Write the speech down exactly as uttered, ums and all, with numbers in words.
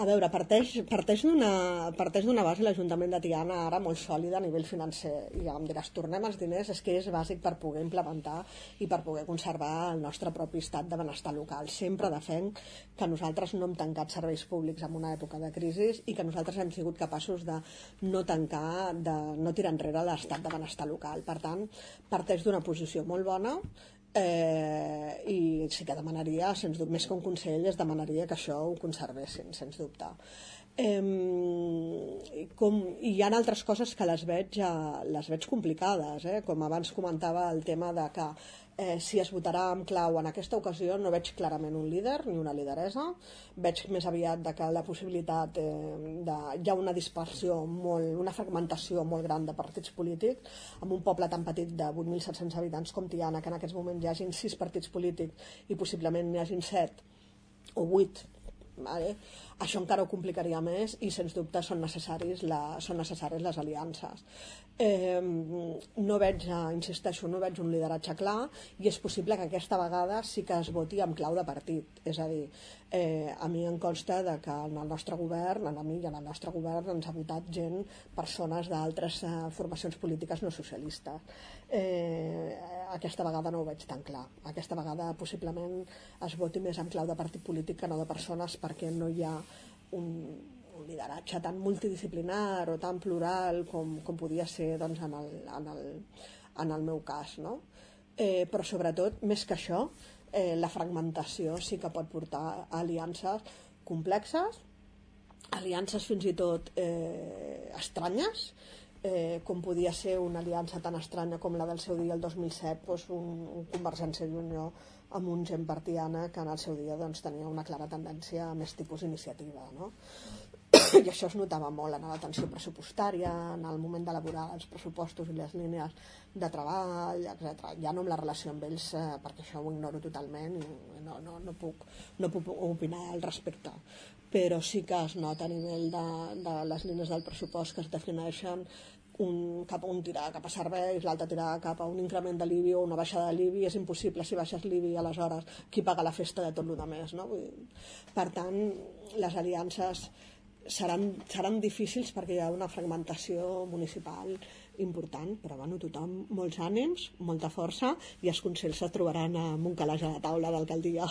A veure, parteix, parteix d'una parteix d'una base l'Ajuntament de Tiana ara molt sòlida a nivell financer, i ja em diràs, tornem els diners, és que és bàsic per poder implementar i per poder conservar el nostre propi estat de benestar local. Sempre defenc que nosaltres no hem tancat serveis públics en una època de crisi i que nosaltres hem sigut capaços de no tancar, de no tirar enrere l'estat de benestar local. Per tant, parteix d'una posició molt bona. Eh, i sí que demanaria, sens dubte, més que un consell, es demanaria que això ho conservessin, sens dubte. Eh, com, i hi ha altres coses que les veig, eh, les veig complicades, eh? Com abans comentava el tema de que eh, si es votarà amb clau en aquesta ocasió no veig clarament un líder ni una lideressa, veig més aviat de que la possibilitat eh, de, hi ha una dispersió molt, una fragmentació molt gran de partits polítics, amb un poble tan petit de vuit mil set-cents habitants com Tiana, que en aquests moments hi hagin sis partits polítics i possiblement n'hi hagin set o vuit. Vale? Això encara ho complicaria més i sens dubte són necessaris la, són necessàries les aliances. Eh, no veig, insisteixo, no veig un lideratge clar, i és possible que aquesta vegada sí que es voti amb clau de partit. És a dir, eh, a mi em consta de que en el nostre govern, a mi i en el nostre govern ens ha votat gent, persones d'altres eh, formacions polítiques no socialistes. Eh, aquesta vegada no ho veig tan clar. Aquesta vegada possiblement es voti més amb clau de partit polític que no de persones, perquè no hi ha un, un lideratge tan multidisciplinar o tan plural com, com podia ser doncs, en, el, en, el, en el meu cas, no? Eh, però sobretot, més que això, eh, la fragmentació sí que pot portar a aliances complexes, aliances fins i tot eh, estranyes, eh, com podia ser una aliança tan estranya com la del seu dia el dos mil set, doncs un, un Convergència i Unió amb un gent partiana que en el seu dia doncs, tenia una clara tendència a més tipus iniciativa, no? I això es notava molt en l'atenció pressupostària, en el moment d'elaborar els pressupostos i les línies de treball, etcètera. Ja no amb la relació amb ells, eh, perquè això ho ignoro totalment i no, no, no, puc, no puc opinar al respecte. Però sí que es nota a nivell de, de les línies del pressupost que es defineixen un, cap a un tirar cap a serveis, l'altre tirar cap a un increment de l'I B I o una baixada de l'I B I. És impossible, si baixes l'I B I, aleshores qui paga la festa de tot el més, no? Vull dir, per tant, les aliances seran, seran difícils perquè hi ha una fragmentació municipal important, però bueno, tothom, molts ànims, molta força, i els consells es trobaran amb un calaix a la taula d'alcaldia.